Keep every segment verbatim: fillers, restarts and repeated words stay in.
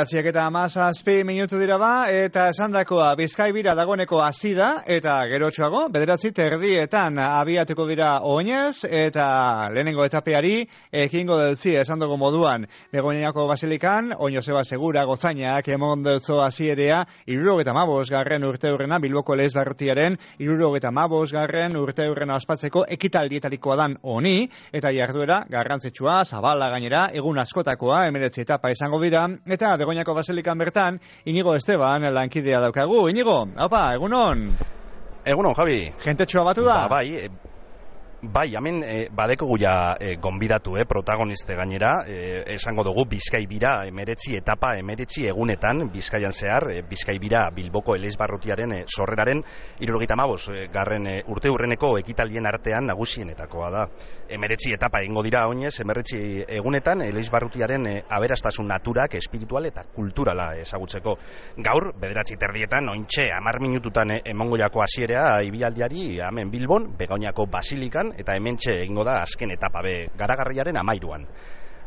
Bederatziak eta hamazazpi minutu dira ba, eta esandakoa Bizkaibira dagoeneko hasi da, eta gerotxoago, bederatzi terdietan abiatuko dira oinez, eta lehenengo etapeari ekingo deltzi esandago moduan. Begoñako Basilikan, oino zeba segura gozainak emon deltzo hasierea irurogeta mabos garren urte hurrena, Bilboko Elez Barrutiaren irurogeta mabos garren urte hurrena ospatzeko ekitaldietarikoa dan honi, eta jarduera garrantzitsua, zabala gainera, egun askotakoa, emeretzi etapa izango dira, eta Begoñako Basilikan bertan, Inigo Esteban lankidea daukagu. Inigo, haupa, egunon? Egunon, Javi. Jentetxoa batu da? Ba, bai, e, bai, hemen e, badeko guia e, gonbidatu, e, protagoniste gainera, e, esango dugu Bizkaibira emeretzi etapa, emeretzi egunetan, Bizkaian zehar, e, Bizkaibira Bilboko Elez Barrutiaren e, sorreraren hirurogeita hamabost e, garren e, urte hurreneko ekitaldien artean nagusienetakoa da. Emeretzi etapa egingo dira oinez, emeretzi egunetan Elez Barrutiaren e, aberastasun naturak, espiritual eta kulturala ezagutzeko. Gaur, bederatzi terdietan, ointxe, hamar minututan e, emongo jako hasierea ibialdiari, hemen Bilbon, Begoñako Basilikan, eta hementxe egingo da azken etapa be garagarriaren amairuan.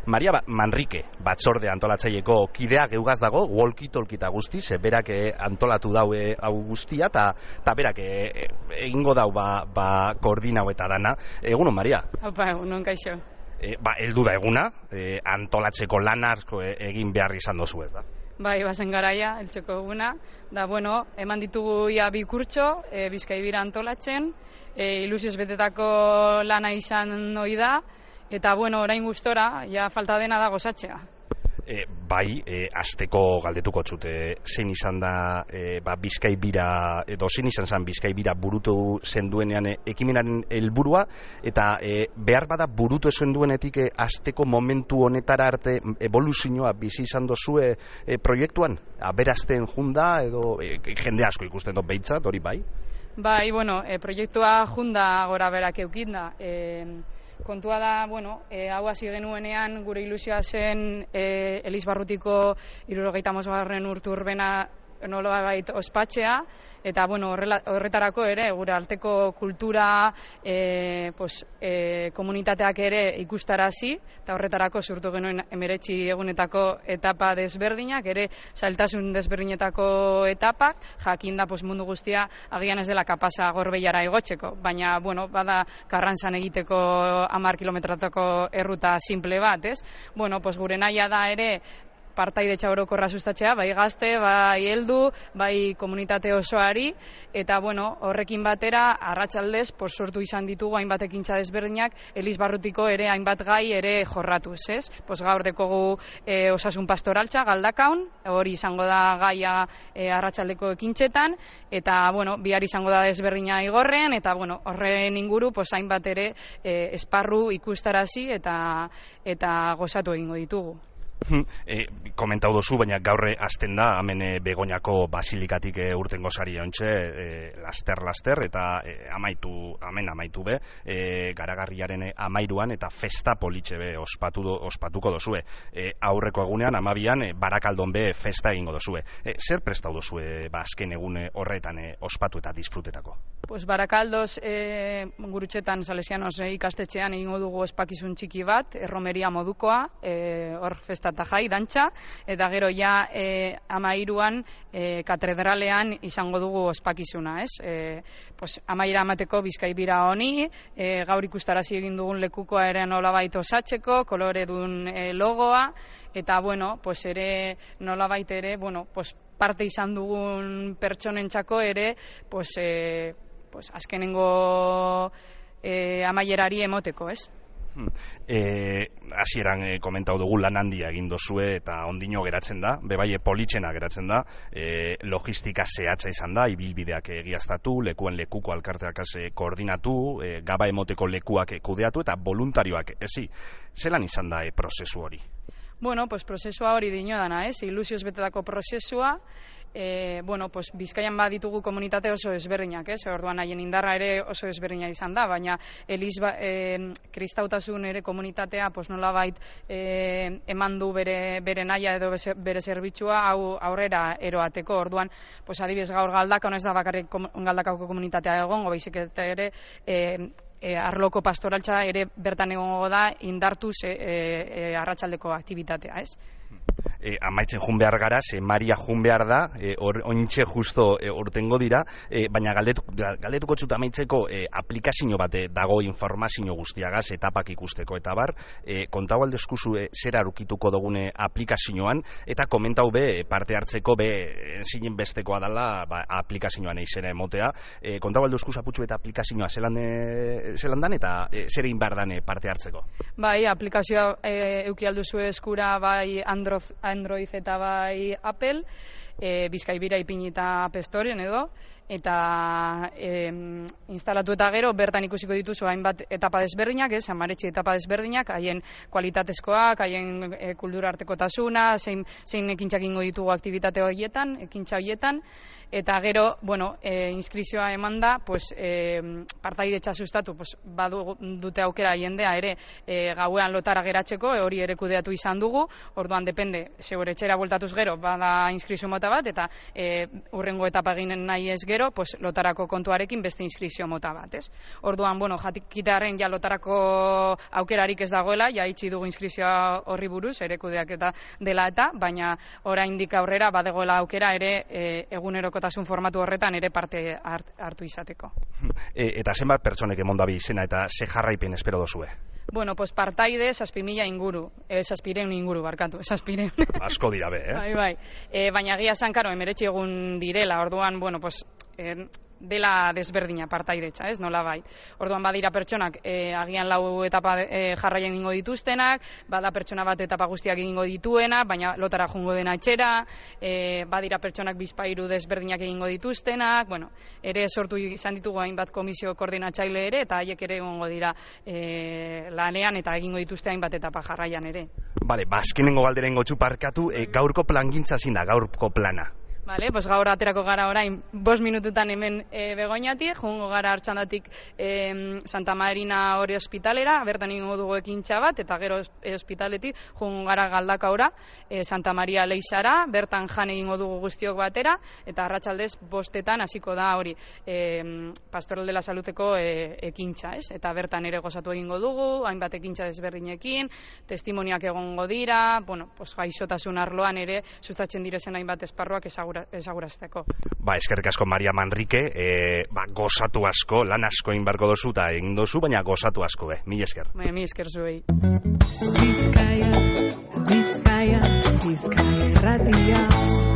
Maria Manrike, batzorde antolatzaieko kidea geugaz dago, walkie-talkie guztiz, berak antolatu daue hau guztia, eta berak egingo dau ba, ba koordinau eta dana. Egunon, Maria? Opa, egunon, kaixo. E, ba, heldu da eguna, e, antolatzeko lan asko egin behar izan dozu ez da? Bai, bazen garaia, eltseko eguna. Da, bueno, eman ditugu ia bi kurtso, e, Bizkaibira antolatzen, e, ilusioz betetako lana izan hoi da, eta, bueno, orain gustora, ja falta dena da gozatzea. E, bai, e, azteko galdetuko txute, zein izan da e, ba, Bizkaibira, edo zein izan zen Bizkaibira burutu zenduenean e, ekimenaren helburua, eta e, behar bada burutu zenduenetik e, azteko momentu honetara arte evoluzioa bizi izan dozue e, proiektuan? Aberazten junda, edo e, jende asko ikusten dut behintzat, hori bai? Bai, bueno, e, proiektua junda gora berak eukin da. E, Kontua da, bueno, e, hau hasi genuenean gure ilusioa zen e, Elez Barrutiko hirurogeita hamabost garren urte urbena nolabait ospatzea, eta bueno, horrela, horretarako ere gure arteko kultura e, pues, e, komunitateak ere ikustarazi, eta horretarako sortu genuen emeretzi egunetako etapa desberdinak, ere zailtasun desberdinetako etapak, jakin da pues, mundu guztia agian ez dela kapasa Gorbeiara igotzeko, baina bueno, bada Karrantzan egiteko hamar kilometratako erruta simple bat, ez? Bueno, pues, gure nahia da ere partaidetza orokorra sustatzea, bai gazte, bai heldu, bai komunitate osoari, eta bueno, horrekin batera, arratsaldez, pues, sortu izan ditugu hainbat ekintza desberdinak, Elez Barrutiko ere hainbat gai ere jorratuz, ez? Pues, gaur dekogu e, osasun pastoraltza, Galdakaun, hori izango da gaia e, arratsaldeko ekintzetan, eta bueno, bihar izango da desberdina igorrean, eta bueno, horren inguru, pues, hainbat ere e, esparru ikustarazi eta, eta gozatu egingo ditugu. E, komentau dozu, baina gaurre hasten da, hemen e, Begoñako Basilikatik e, urtengo sari ontxe, e, laster-laster, eta e, amaitu, hemen amaitu be, e, garagarriaren e, amairuan, eta festa politxe be ospatu do, ospatuko dozue. E, aurreko egunean, amabian, e, Barakaldon be festa egingo dozue. E, zer prestau dozue, ba, azken egun horretan e, ospatu eta disfrutetako? Pues Barakaldoz, e, gurutxetan, Salesianos e, ikastetxean egingo dugu ospakizun txiki bat, erromeria modukoa, e, hor festa eta jai, dantxa, eta gero ja e, amairuan e, katedralean izango dugu ospakizuna, ez? E, pues, amaira amateko Bizkaibira honi, e, gaur ikustarazi egin dugun lekukoa ere nolabait osatzeko, koloredun e, logoa, eta bueno, pues ere nolabait ere, bueno, pues parte izan dugun pertsonentzako ere, pues, e, pues azkenengo e, amaierari emoteko, ez? E, hasieran e, komentau dugu lan handia egin dozue eta ondino geratzen da, bebaie politxena geratzen da, e, logistika zehatza izan da, ibilbideak egiaztatu, lekuen lekuko alkarteak e, koordinatu, e, gaba emoteko lekuak e, kudeatu eta voluntarioak ezi. Zelan izan da e, prozesu hori? Bueno, pues prozesua hori dino dana, ez? Ilusioz betetako prozesua, e, bueno, pues Bizkaian baditugu komunitate oso ezberdinak, ez? Orduan haien indarra ere oso ezberdina izan da, baina Eliz ba, e, kristautasun ere komunitatea pues nolabait e, eman du bere bere naia edo bere zerbitzua hau aurrera eroateko. Orduan, pues adibidez gaur Galdakaon ez da bakarrik Galdakaoko komunitatea egongo, baizik eta ere e, E, arloko pastoraltza ere bertan egongo da indartuz e, e, arratsaldeko aktibitatea, ez? e, amaitzen jun behar gara, ze Maria jun behar da, e, or, ointxe justo e, ortengo dira, e, baina galdetu, galdetuko txut amaitzeko e, aplikazio bat e, dago informazio guztiagaz, etapak ikusteko eta bar, e, kontau aldezkuzu e, zera arukituko dugune aplikazioan, eta komentau be parte hartzeko be zinen bestekoa dela ba, aplikazioan izena emotea, e, kontau aldezkuzu aputxu eta aplikazioa zelan, e, zelan dan eta e, zer egin behar dan parte hartzeko. Bai, aplikazioa e, euki alduzu eskura bai Android, Android eta bai Apple, e, Bizkaibira ipinita App Storeen edo, eta e, instalatu eta gero bertan ikusiko dituzu hainbat etapa desberdinak, ez, amaretxe etapa desberdinak, haien kualitatezkoak, haien e, kultura artekotasuna, zein, zein ekintzak ingo ditugu aktibitate horietan, ekintza horietan, eta gero, bueno, e, inskrizioa eman da, pues, e, partaidetza sustatu, pues, badu dute aukera jendea ere e, gauean lotara geratzeko, e, hori ere kudeatu izan dugu, orduan depende, zeur etxera bueltatuz gero, bada inskrizio mota bat, eta e, urrengo etapa eginen nahi ez gero, pues, lotarako kontuarekin beste inskrizio mota bat, ez? Orduan, bueno, jatikitearen ja lotarako aukerarik ez dagoela, ja itxi dugu inskrizioa horri buruz, ere kudeak eta dela eta, baina oraindik aurrera badegoela aukera ere e, eguneroko tasun formatu horretan ere parte hart, hartu izateko. E, eta zenbat pertsonek emonda bi izena eta ze jarraipen espero dozue? Bueno, pues partaide zazpi mila inguru, eh, zazpireun inguru, barkatu, zazpireun. Asko dira be, eh? Bai, bai. E, baina gia zankaro, emeretxe egun direla, orduan, bueno, pues, eh, dela desberdina partaidetza, ez, nola bai. Orduan badira pertsonak e, agian lau etapa e, jarraien egingo dituztenak, bada pertsona bat etapa guztiak egingo dituena, baina lotara jungo dena etxera, e, badira pertsonak bizpairu desberdinak egingo dituztenak, bueno, ere sortu izan ditugu hainbat komisio koordinatzaile ere, eta haiek ere egongo dira e, lanean eta egingo dituzte hainbat etapa jarraian ere. Bale, bazkenengo galderen gotxu parkatu, e, gaurko plangintza zin da, gaurko plana. Vale, pues gaur aterako gara orain bost minututan hemen e, Begoñatik, jungo gara Artxandatik e, Santa Marina hori ospitalera, bertan ingo dugu ekintza bat, eta gero e, ospitaletik jungo gara Galdakaora, e, Santa Maria Leixara, bertan jan egingo dugu guztiok batera, eta arratsaldez bostetan hasiko da hori e, Pastoral de la Saludeko e, ekintza, ez? Eta bertan ere gozatu egingo dugu, hainbat ekintza desberdinekin, testimoniak egongo dira, bueno, pues gaixotasun arloan ere sustatzen direzen hainbat esparruak ezagura ezagurazteko. Ba, eskerrik asko Maria Manrike, e, ba, gozatu asko, lan asko egin beharko dozu eta egin dozu, baina gozatu asko, be. Mil esker. Ba, mil esker zuei. Bizkaia, Bizkaia, Bizkaia erratia.